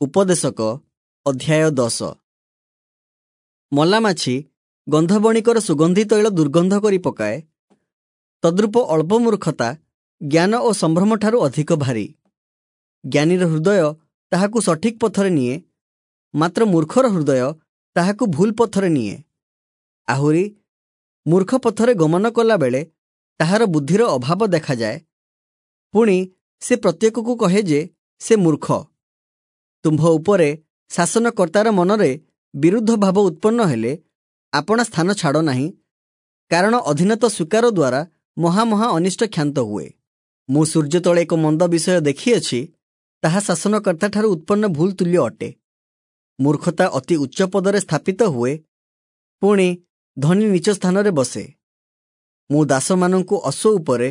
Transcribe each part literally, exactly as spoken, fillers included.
ଉପଦେଶକ ଅଧ୍ୟାୟ ଦଶ। ମଲାମାଛି ଗନ୍ଧବଣିକର ସୁଗନ୍ଧି ତୈଳ ଦୁର୍ଗନ୍ଧ କରି ପକାଏ, ତଦ୍ରୂପ ଅଳ୍ପ ମୂର୍ଖତା ଜ୍ଞାନ ଓ ସମ୍ଭ୍ରମଠାରୁ ଅଧିକ ଭାରୀ। ଜ୍ଞାନୀର ହୃଦୟ ତାହାକୁ ସଠିକ ପଥରେ ନିଏ, ମାତ୍ର ମୂର୍ଖର ହୃଦୟ ତାହାକୁ ଭୁଲ ପଥରେ ନିଏ। ଆହୁରି ମୂର୍ଖ ପଥରେ ଗମନ କଲାବେଳେ ତାହାର ବୁଦ୍ଧିର ଅଭାବ ଦେଖାଯାଏ, ପୁଣି ସେ ପ୍ରତ୍ୟେକକୁ କହେ ଯେ ସେ ମୂର୍ଖ। ତୁମ୍ଭ ଉପରେ ଶାସନକର୍ତ୍ତାର ମନରେ ବିରୁଦ୍ଧ ଭାବ ଉତ୍ପନ୍ନ ହେଲେ ଆପଣା ସ୍ଥାନ ଛାଡ଼ ନାହିଁ, କାରଣ ଅଧୀନତା ସ୍ୱୀକାର ଦ୍ୱାରା ମହା ମହା ଅନିଷ୍ଟ କ୍ଷାନ୍ତ ହୁଏ। ମୁଁ ସୂର୍ଯ୍ୟ ତଳେ ଏକ ମନ୍ଦ ବିଷୟ ଦେଖିଅଛି, ତାହା ଶାସନକର୍ତ୍ତାଠାରୁ ଉତ୍ପନ୍ନ ଭୁଲ ତୁଲ୍ୟ ଅଟେ। ମୂର୍ଖତା ଅତି ଉଚ୍ଚ ପଦରେ ସ୍ଥାପିତ ହୁଏ, ପୁଣି ଧନୀ ନୀଚ ସ୍ଥାନରେ ବସେ। ମୁଁ ଦାସମାନଙ୍କୁ ଅଶ୍ୱ ଉପରେ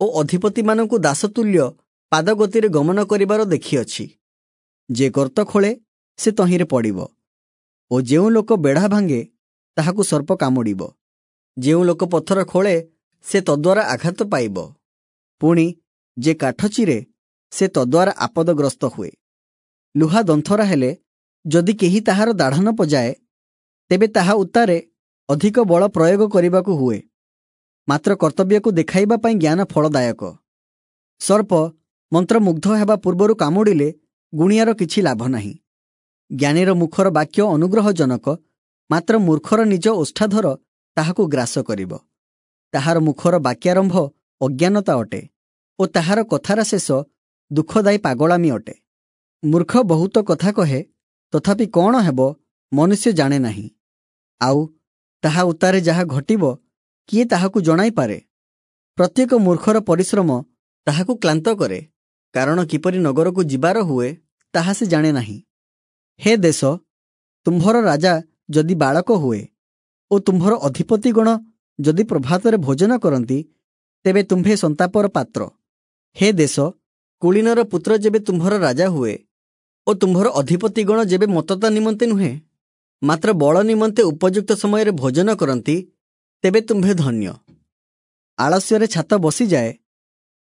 ଓ ଅଧିପତିମାନଙ୍କୁ ଦାସତୁଲ୍ୟ ପାଦଗତିରେ ଗମନ କରିବାର ଦେଖିଅଛି। ଯେ ଗର୍ତ୍ତ ଖୋଳେ ସେ ତହିଁରେ ପଡ଼ିବ, ଓ ଯେଉଁ ଲୋକ ବେଢ଼ା ଭାଙ୍ଗେ ତାହାକୁ ସର୍ପ କାମୁଡ଼ିବ। ଯେଉଁ ଲୋକ ପଥର ଖୋଳେ ସେ ତଦ୍ୱାରା ଆଘାତ ପାଇବ, ପୁଣି ଯେ କାଠ ଚିରେ ସେ ତଦ୍ୱାରା ଆପଦଗ୍ରସ୍ତ ହୁଏ। ଲୁହା ଦନ୍ଥରା ହେଲେ ଯଦି କେହି ତାହାର ଦାଢ଼ ନ ପଜାଏ, ତେବେ ତାହା ଉତ୍ତାରେ ଅଧିକ ବଳ ପ୍ରୟୋଗ କରିବାକୁ ହୁଏ, ମାତ୍ର କର୍ତ୍ତବ୍ୟକୁ ଦେଖାଇବା ପାଇଁ ଜ୍ଞାନ ଫଳଦାୟକ। ସର୍ପ ମନ୍ତ୍ରମୁଗ୍ଧ ହେବା ପୂର୍ବରୁ କାମୁଡ଼ିଲେ ଗୁଣିଆର କିଛି ଲାଭ ନାହିଁ। ଜ୍ଞାନୀର ମୁଖର ବାକ୍ୟ ଅନୁଗ୍ରହଜନକ, ମାତ୍ର ମୂର୍ଖର ନିଜ ଓଷ୍ଠାଧର ତାହାକୁ ଗ୍ରାସ କରିବ। ତାହାର ମୁଖର ବାକ୍ୟାରମ୍ଭ ଅଜ୍ଞାନତା ଅଟେ ଓ ତାହାର କଥାର ଶେଷ ଦୁଃଖଦାୟୀ ପାଗଳାମି ଅଟେ। ମୂର୍ଖ ବହୁତ କଥା କହେ, ତଥାପି କ'ଣ ହେବ ମନୁଷ୍ୟ ଜାଣେ ନାହିଁ। ଆଉ ତାହା ଉତ୍ତାରେ ଯାହା ଘଟିବ କିଏ ତାହାକୁ ଜଣାଇପାରେ? ପ୍ରତ୍ୟେକ ମୂର୍ଖର ପରିଶ୍ରମ ତାହାକୁ କ୍ଳାନ୍ତ କରେ, କାରଣ କିପରି ନଗରକୁ ଯିବାର ହୁଏ ତାହା ସେ ଜାଣେ ନାହିଁ। ହେ ଦେଶ, ତୁମ୍ଭର ରାଜା ଯଦି ବାଳକ ହୁଏ ଓ ତୁମ୍ଭର ଅଧିପତିଗଣ ଯଦି ପ୍ରଭାତରେ ଭୋଜନ କରନ୍ତି, ତେବେ ତୁମ୍ଭେ ସନ୍ତାପର ପାତ୍ର। ହେ ଦେଶ, କୁଳୀନର ପୁତ୍ର ଯେବେ ତୁମ୍ଭର ରାଜା ହୁଏ ଓ ତୁମ୍ଭର ଅଧିପତିଗଣ ଯେବେ ମତତା ନିମନ୍ତେ ନୁହେଁ, ମାତ୍ର ବଳ ନିମନ୍ତେ ଉପଯୁକ୍ତ ସମୟରେ ଭୋଜନ କରନ୍ତି, ତେବେ ତୁମ୍ଭେ ଧନ୍ୟ। ଆଳସ୍ୟରେ ଛାତ ବସିଯାଏ,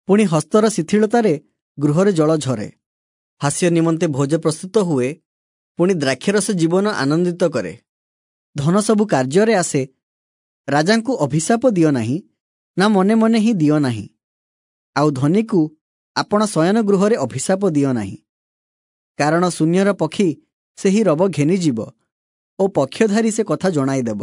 ପୁଣି ହସ୍ତର ଶିଥିଳତାରେ ଗୃହରେ ଜଳ ଝରେ। ହାସ୍ୟ ନିମନ୍ତେ ଭୋଜ ପ୍ରସ୍ତୁତ ହୁଏ, ପୁଣି ଦ୍ରାକ୍ଷାରସ ଜୀବନ ଆନନ୍ଦିତ କରେ। ଧନ ସବୁ କାର୍ଯ୍ୟରେ ଆସେ। ରାଜାଙ୍କୁ ଅଭିଶାପ ଦିଅ ନାହିଁ, ନା ମନେ ମନେ ହିଁ ଦିଅ ନାହିଁ। ଆଉ ଧନୀକୁ ଆପଣ ଶୟନ ଗୃହରେ ଅଭିଶାପ ଦିଅ ନାହିଁ, କାରଣ ଶୂନ୍ୟର ପକ୍ଷୀ ସେହି ରବ ଘେନିଯିବ ଓ ପକ୍ଷଧାରୀ ସେ କଥା ଜଣାଇଦେବ।